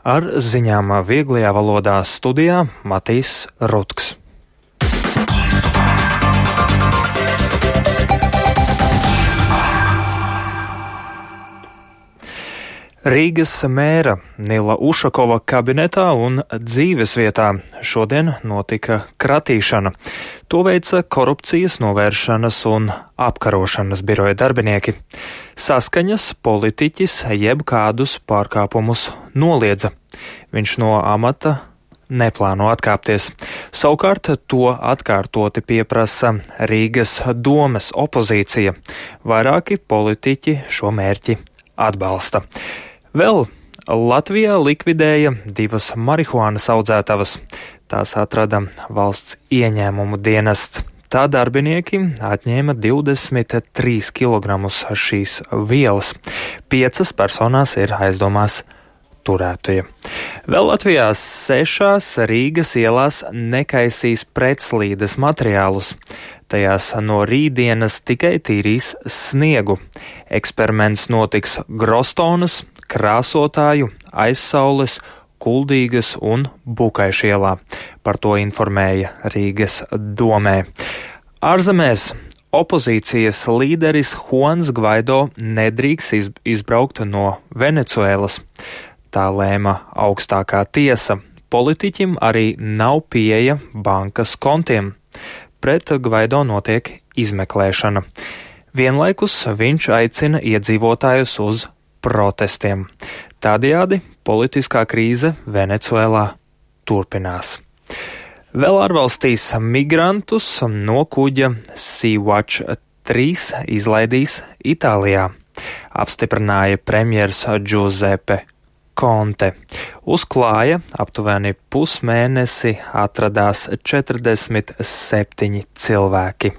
Ar ziņām vieglajā valodā studijā Matīs Rutks. Rīgas mēra Nila Ušakova kabinetā un dzīvesvietā šodien notika kratīšana. To veica korupcijas novēršanas un apkarošanas biroja darbinieki. Saskaņas politiķis jebkādus pārkāpumus noliedza. Viņš no amata neplāno atkāpties. Savukārt to atkārtoti pieprasa Rīgas domes opozīcija. Vairāki politiķi šo mērķi atbalsta. Vēl Latvijā likvidēja 2 marihuānas audzētavas. Tās atrada valsts ieņēmumu dienests. Tā darbinieki atņēma 23 kg šīs vielas. 5 personās ir aizdomās turētie. Vēl Latvijā 6 Rīgas ielās nekaisīs pretslīdes materiālus. Tajās no rītdienas tikai tīrīs sniegu. Eksperiments notiks Grostonas, Krāsotāju, Aizsaules, Kuldīgas un Bukaišu ielā. Par to informēja Rīgas domē. Ārzemēs opozīcijas līderis Juans Gvaido nedrīkst izbraukt no Venecuēlas. Tā lēma augstākā tiesa. Politiķim arī nav pieeja bankas kontiem. Pret Gvaido notiek izmeklēšana. Vienlaikus viņš aicina iedzīvotājus uz protestiem. Tādējādi politiskā krīze Venecuēlā turpinās. Vēl ārvalstīs migrantus no kuģa Sea-Watch 3 izlaidīs Itālijā, apstiprināja premjers Giuseppe Conte. Uz klāja aptuveni pusmēnesi atradās 47 cilvēki.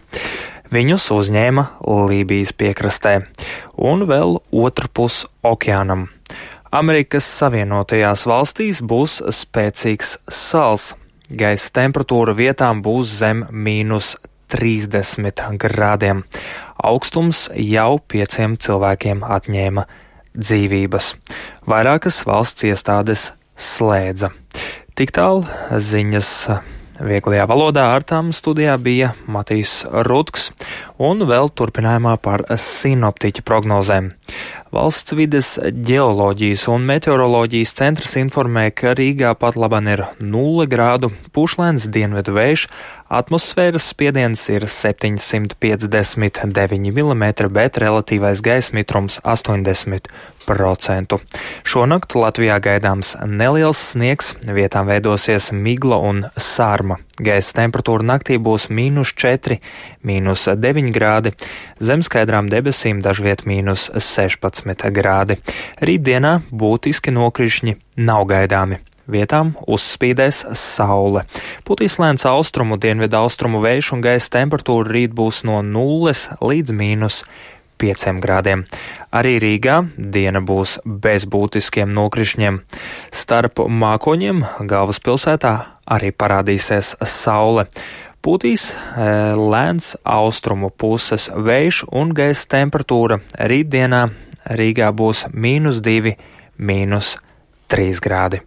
Viņus uzņēma Lībijas piekrastē un vēl otrpus okeānam. Amerikas Savienotajās valstīs būs spēcīgs sals. Gaisa temperatūra vietām būs zem -30 grādiem. Augstums jau 5 cilvēkiem atņēma dzīvības. Vairākas valsts iestādes slēdza. Tik tālu ziņas vieglajā valodā. Ar tām studijā bija Matīs Rutks un vēl turpinājumā par sinoptiķa prognozēm. Valsts vides ģeoloģijas un meteoroloģijas centrs informē, ka Rīgā pat laban ir 0 grādu, pušlēns dienvidu vējš, atmosfēras spiediens ir 759 mm, bet relatīvais gaisa mitrums 80%. Šonakt Latvijā gaidāms neliels sniegs, vietām veidosies migla un sārma. Gaisa temperatūra naktī būs -4, -9 grādi, zem skaidrām debesīm dažviet -16 grādi. Rītdienā būtiski nokrišņi nav gaidāmi. Vietām uzspīdēs saule. Putīs lēns austrumu, dienvidu austrumu vējš un gaisa temperatūra rīt būs no 0 līdz -5 grādiem. Arī Rīgā diena būs bez būtiskiem nokrišņiem. Starp mākoņiem galvaspilsētā arī parādīsies saule. Pūtīs lēns austrumu puses vējš un gaisa temperatūra rītdienā Rīgā būs -2, -3 grādi.